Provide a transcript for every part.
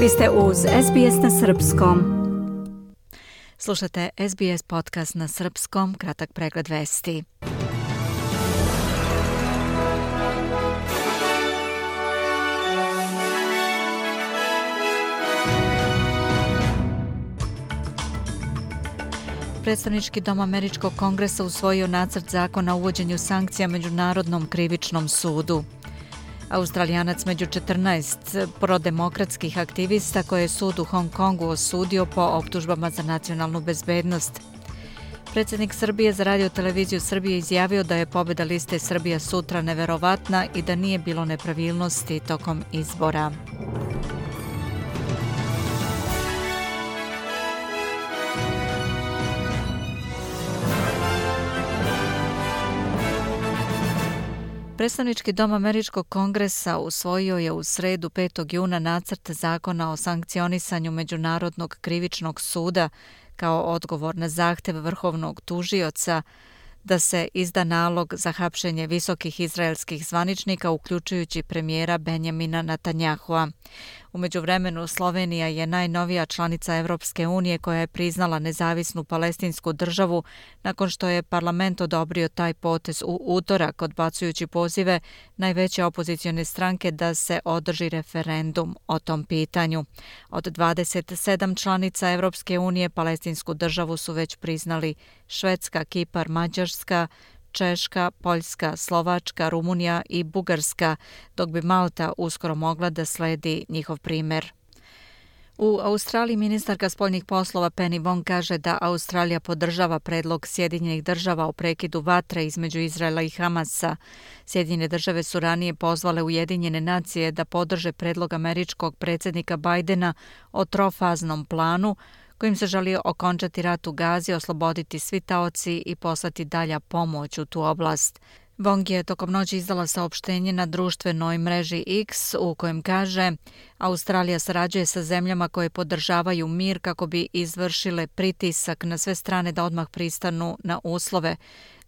Vi ste uz SBS na srpskom. Slušate SBS podcast na srpskom, kratak pregled vesti. Predstavnički dom Američkog kongresa usvojio nacrt zakona o uvođenju sankcija Međunarodnom krivičnom sudu. Australijanac među 14 prodemokratskih aktivista koje je sud u Hong Kongu osudio po optužbama za nacionalnu bezbednost. Predsjednik Srbije za Radio televiziju Srbije izjavio da je pobjeda liste Srbija sutra neverovatna i da nije bilo nepravilnosti tokom izbora. Predstavnički dom Američkog kongresa usvojio je u sredu 5. juna nacrt zakona o sankcionisanju Međunarodnog krivičnog suda kao odgovor na zahtev vrhovnog tužioca da se izda nalog za hapšenje visokih izraelskih zvaničnika, uključujući premijera Benjamina Netanjahua. U međuvremenu Slovenija je najnovija članica Evropske unije koja je priznala nezavisnu palestinsku državu nakon što je parlament odobrio taj potez u utorak, odbacujući pozive najveće opozicione stranke da se održi referendum o tom pitanju. Od 27 članica Evropske unije palestinsku državu su već priznali Švedska, Kipar, Mađarska, Češka, Poljska, Slovačka, Rumunija i Bugarska, dok bi Malta uskoro mogla da sledi njihov primjer. U Australiji ministarka spoljnih poslova Penny Wong kaže da Australija podržava predlog Sjedinjenih država o prekidu vatre između Izraela i Hamasa. Sjedinjene države su ranije pozvale Ujedinjene nacije da podrže predlog američkog predsjednika Bidena o trofaznom planu kojim se želi okončati rat u Gazi, osloboditi svi taoci i poslati dalja pomoć u tu oblast. Wong je tokom noći izdala saopštenje na društvenoj mreži X u kojem kaže: Australija sarađuje sa zemljama koje podržavaju mir kako bi izvršile pritisak na sve strane da odmah pristanu na uslove.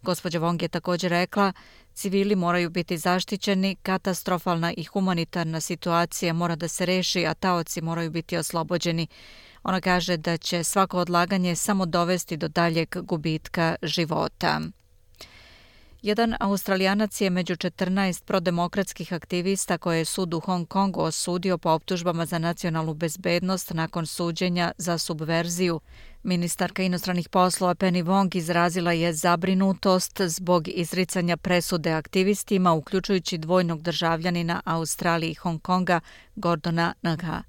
Gospođa Wong je također rekla: civili moraju biti zaštićeni, katastrofalna i humanitarna situacija mora da se reši, a taoci moraju biti oslobođeni. Ona kaže da će svako odlaganje samo dovesti do daljeg gubitka života. Jedan Australijanac je među 14 prodemokratskih aktivista koje je sud u Hong Kongu osudio po optužbama za nacionalnu bezbednost nakon suđenja za subverziju. Ministarka inostranih poslova Penny Wong izrazila je zabrinutost zbog izricanja presude aktivistima, uključujući dvojnog državljanina Australije i Hong Konga Gordona Nga.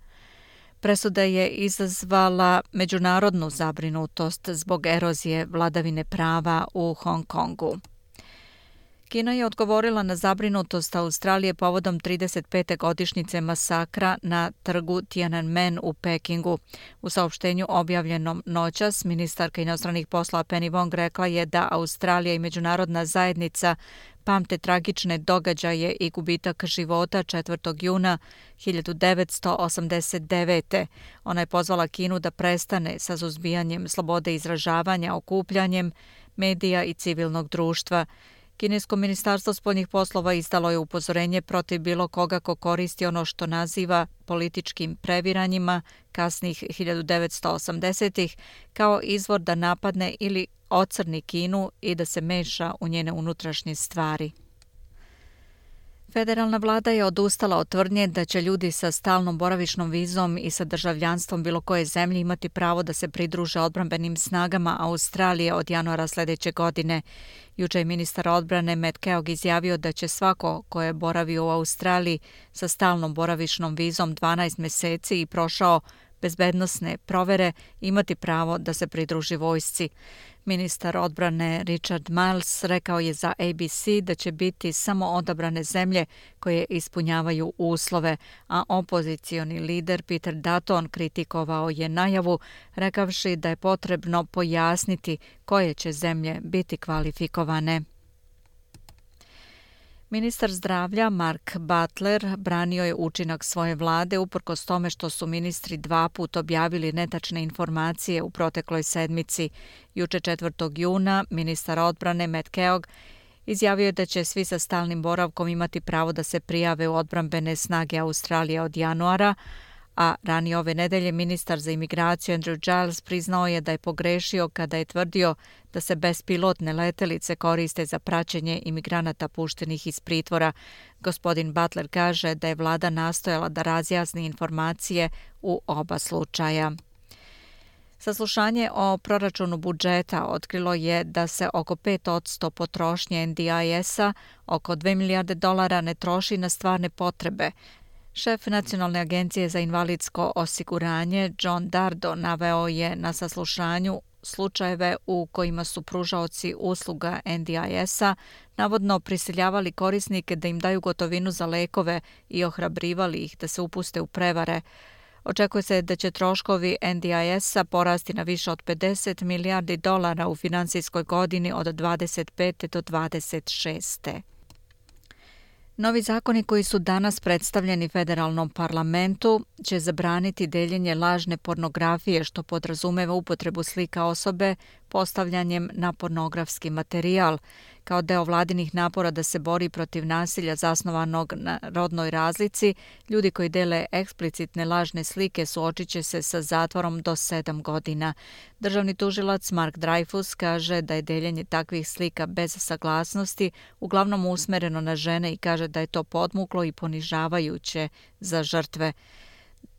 Presuda je izazvala međunarodnu zabrinutost zbog erozije vladavine prava u Hong Kongu. Kina je odgovorila na zabrinutost Australije povodom 35. godišnjice masakra na trgu Tiananmen u Pekingu. U saopštenju objavljenom noćas, ministarka inostranih poslova Penny Wong rekla je da Australija i međunarodna zajednica pamte tragične događaje i gubitak života 4. juna 1989. Ona je pozvala Kinu da prestane sa suzbijanjem slobode izražavanja, okupljanjem medija i civilnog društva. Kinesko ministarstvo spoljnih poslova izdalo je upozorenje protiv bilo koga ko koristi ono što naziva političkim previranjima kasnih 1980-ih kao izvor da napadne ili ocrni Kinu i da se meša u njene unutrašnje stvari. Federalna vlada je odustala od tvrdnje da će ljudi sa stalnom boravišnom vizom i sa državljanstvom bilo koje zemlje imati pravo da se pridruže odbrambenim snagama Australije od januara sljedeće godine. Juče je ministar odbrane Matt Keogh izjavio da će svako ko je boravio u Australiji sa stalnom boravišnom vizom 12 mjeseci i prošao bezbednosne provere imati pravo da se pridruži vojsci. Ministar odbrane Richard Marles rekao je za ABC da će biti samo odabrane zemlje koje ispunjavaju uslove, a opozicioni lider Peter Dutton kritikovao je najavu, rekavši da je potrebno pojasniti koje će zemlje biti kvalifikovane. Ministar zdravlja Mark Butler branio je učinak svoje vlade uprkos tome što su ministri 2 puta objavili netačne informacije u protekloj sedmici. Juče 4. juna ministar odbrane Matt Keogh izjavio je da će svi sa stalnim boravkom imati pravo da se prijave u odbrambene snage Australije od januara, a ranije ove nedelje ministar za imigraciju Andrew Giles priznao je da je pogrešio kada je tvrdio da se bespilotne letelice koriste za praćenje imigranata puštenih iz pritvora. Gospodin Butler kaže da je vlada nastojala da razjasni informacije u oba slučaja. Saslušanje o proračunu budžeta otkrilo je da se oko 5% potrošnje NDIS-a, oko $2 milijarde, ne troši na stvarne potrebe. Šef Nacionalne agencije za invalidsko osiguranje John Dardo naveo je na saslušanju slučajeve u kojima su pružaoci usluga NDIS-a navodno prisiljavali korisnike da im daju gotovinu za lekove i ohrabrivali ih da se upuste u prevare. Očekuje se da će troškovi NDIS-a porasti na više od $50 milijardi u finansijskoj godini od 25. do 26. Novi zakoni koji su danas predstavljeni federalnom parlamentu će zabraniti deljenje lažne pornografije, što podrazumeva upotrebu slika osobe postavljanjem na pornografski materijal. Kao deo vladinih napora da se bori protiv nasilja zasnovanog na rodnoj razlici, ljudi koji dele eksplicitne lažne slike suočit će se sa zatvorom do 7 godina. Državni tužilac Mark Dreyfus kaže da je deljenje takvih slika bez saglasnosti uglavnom usmereno na žene i kaže da je to podmuklo i ponižavajuće za žrtve.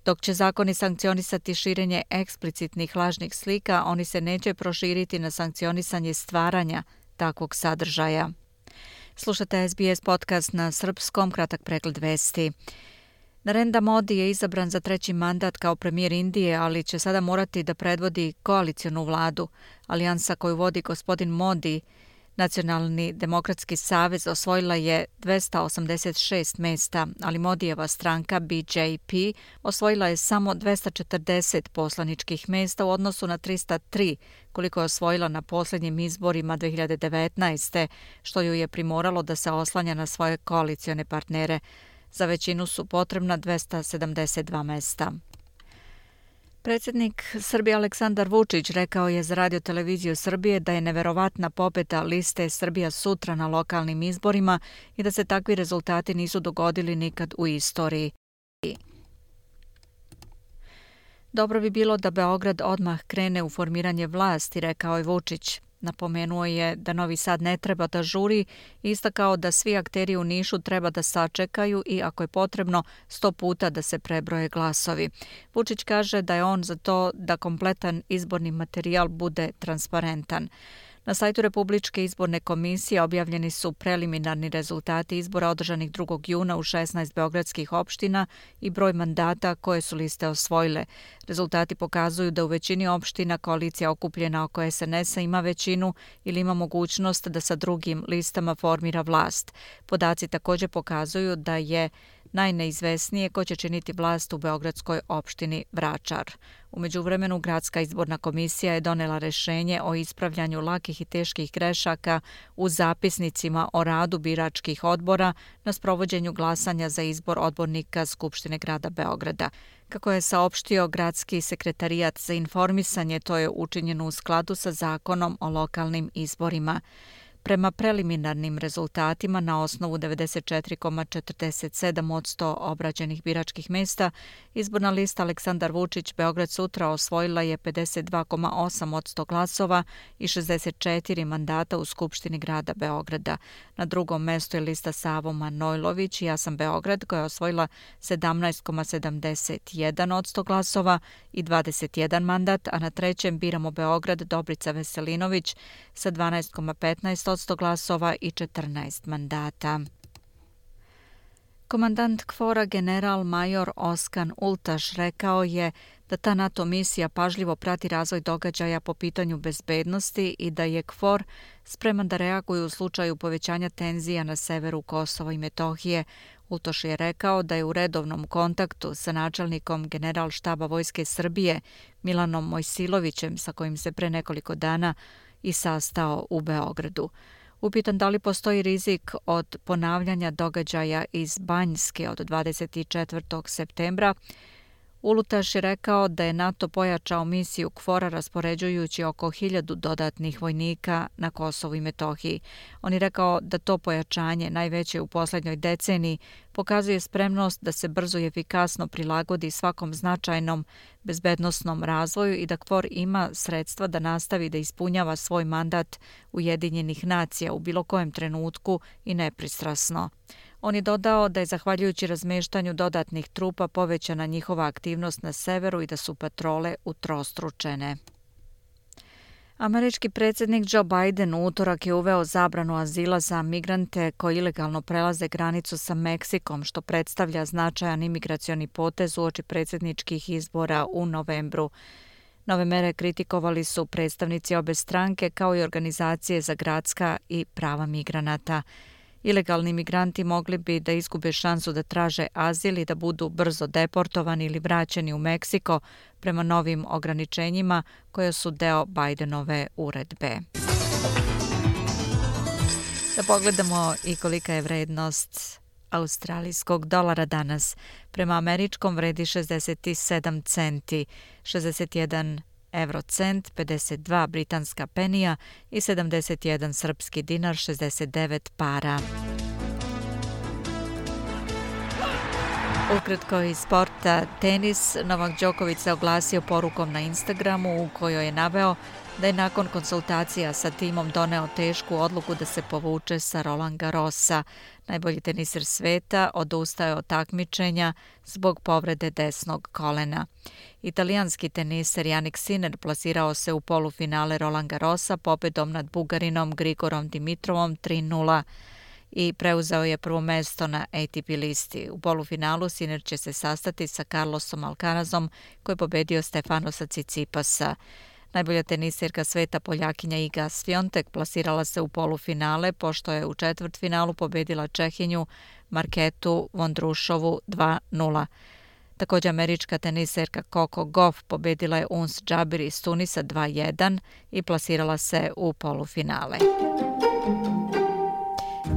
Dok će zakoni sankcionisati širenje eksplicitnih lažnih slika, oni se neće proširiti na sankcionisanje stvaranja takvog sadržaja. Slušate SBS podcast na srpskom, kratak pregled vesti. Narendra Modi je izabran za 3. mandat kao premijer Indije, ali će sada morati da predvodi koalicionu vladu. Alijansa koju vodi gospodin Modi, Nacionalni demokratski savez, osvojila je 286 mesta, ali Modijeva stranka BJP osvojila je samo 240 poslaničkih mesta u odnosu na 303 koliko je osvojila na posljednjim izborima 2019. što ju je primoralo da se oslanja na svoje koalicione partnere. Za većinu su potrebna 272 mesta. Predsjednik Srbije Aleksandar Vučić rekao je za Radio televiziju Srbije da je neverovatna pobjeda liste Srbija sutra na lokalnim izborima i da se takvi rezultati nisu dogodili nikad u istoriji. Dobro bi bilo da Beograd odmah krene u formiranje vlasti, rekao je Vučić. Napomenuo je da Novi Sad ne treba da žuri i istakao da svi akteri u Nišu treba da sačekaju i ako je potrebno 100 puta da se prebroje glasovi. Vučić kaže da je on za to da kompletan izborni materijal bude transparentan. Na sajtu Republičke izborne komisije objavljeni su preliminarni rezultati izbora održanih 2. juna u 16 beogradskih opština i broj mandata koje su liste osvojile. Rezultati pokazuju da u većini opština koalicija okupljena oko SNS-a ima većinu ili ima mogućnost da sa drugim listama formira vlast. Podaci također pokazuju da je najneizvesnije ko će činiti vlast u beogradskoj opštini Vračar. U međuvremenu, Gradska izborna komisija je donela rešenje o ispravljanju lakih i teških grešaka u zapisnicima o radu biračkih odbora na sprovođenju glasanja za izbor odbornika Skupštine grada Beograda. Kako je saopštio Gradski sekretarijat za informisanje, to je učinjeno u skladu sa zakonom o lokalnim izborima. Prema preliminarnim rezultatima, na osnovu 94,47% obrađenih biračkih mesta, izborna lista Aleksandar Vučić Beograd sutra osvojila je 52,8% glasova i 64 mandata u Skupštini grada Beograda. Na drugom mestu je lista Savo Manojlović i Ja sam Beograd, koja je osvojila 17,71% glasova i 21 mandat, a na trećem Biramo Beograd Dobrica Veselinović sa 12,15% glasova i 14 mandata. Komandant KFOR-a general major Oskan Ultaš rekao je da ta NATO misija pažljivo prati razvoj događaja po pitanju bezbednosti i da je KFOR spreman da reaguje u slučaju povećanja tenzija na severu Kosova i Metohije. Ultoš je rekao da je u redovnom kontaktu sa načelnikom Generalštaba Vojske Srbije Milanom Mojsilovićem, sa kojim se pre nekoliko dana i sastao u Beogradu. Upitan da li postoji rizik od ponavljanja događaja iz Banjske od 24. septembra, Ulutaš je rekao da je NATO pojačao misiju KFOR-a raspoređujući oko 1000 dodatnih vojnika na Kosovu i Metohiji. On je rekao da to pojačanje, najveće u posljednjoj deceniji, pokazuje spremnost da se brzo i efikasno prilagodi svakom značajnom bezbednosnom razvoju i da KFOR ima sredstva da nastavi da ispunjava svoj mandat Ujedinjenih nacija u bilo kojem trenutku i nepristrasno. On je dodao da je zahvaljujući razmeštanju dodatnih trupa povećana njihova aktivnost na severu i da su patrole utrostručene. Američki predsjednik Joe Biden u utorak je uveo zabranu azila za migrante koji ilegalno prelaze granicu sa Meksikom, što predstavlja značajan imigracioni potez uoči predsjedničkih izbora u novembru. Nove mere kritikovali su predstavnici obe stranke kao i organizacije za gradska i prava migranata. Ilegalni migranti mogli bi da izgube šansu da traže azil i da budu brzo deportovani ili vraćeni u Meksiko prema novim ograničenjima koje su deo Bidenove uredbe. Da pogledamo i kolika je vrednost australijskog dolara danas. Prema američkom vredi 67 centi, 61 eurocent, 52 britanska penija i 71 srpski dinar, 69 para. Ukratko iz sporta tenis, Novak Đoković se oglasio porukom na Instagramu u kojoj je naveo da je nakon konsultacija sa timom doneo tešku odluku da se povuče sa Roland Garrosa. Najbolji teniser sveta odustao je od takmičenja zbog povrede desnog kolena. Italijanski teniser Jannik Sinner plasirao se u polufinale Roland Garrosa pobedom nad Bugarinom Grigorom Dimitrovom 3:0 i preuzeo je prvo mesto na ATP listi. U polufinalu Sinner će se sastati sa Carlosom Alcarazom koji je pobedio Stefanosa Tsitsipasa. Najbolja teniserka sveta Poljakinja Iga Swiatek plasirala se u polufinale pošto je u četvrtfinalu pobedila Čehinju Marketu Vondrušovu 2:0. Također američka teniserka Coco Gauff pobedila je Uns Jabir iz Tunisa 2:1 i plasirala se u polufinale.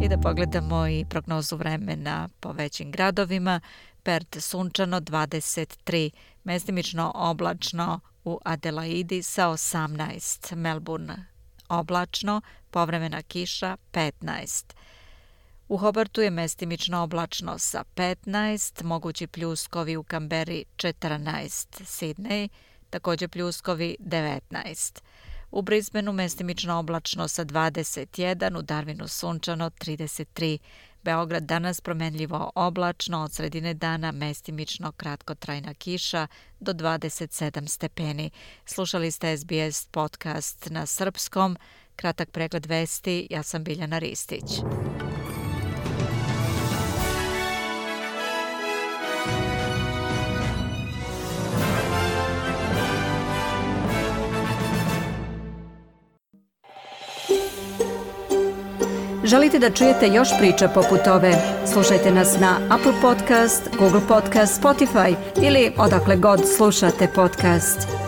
I da pogledamo i prognozu vremena po većim gradovima. Perth sunčano 23, mestimično oblačno u Adelaidi sa 18, Melbourne oblačno, povremena kiša 15. U Hobartu je mestimično oblačno sa 15, mogući pljuskovi u Kamberi 14, Sydney također pljuskovi 19. U Brisbaneu mestimično oblačno sa 21, u Darwinu sunčano 33. Beograd danas promenljivo oblačno, od sredine dana mestimično kratkotrajna kiša do 27 stepeni. Slušali ste SBS podcast na srpskom, kratak pregled vesti, ja sam Biljana Ristić. Želite da čujete još priča poput ove? Slušajte nas na Apple Podcast, Google Podcast, Spotify ili odakle god slušate podcast.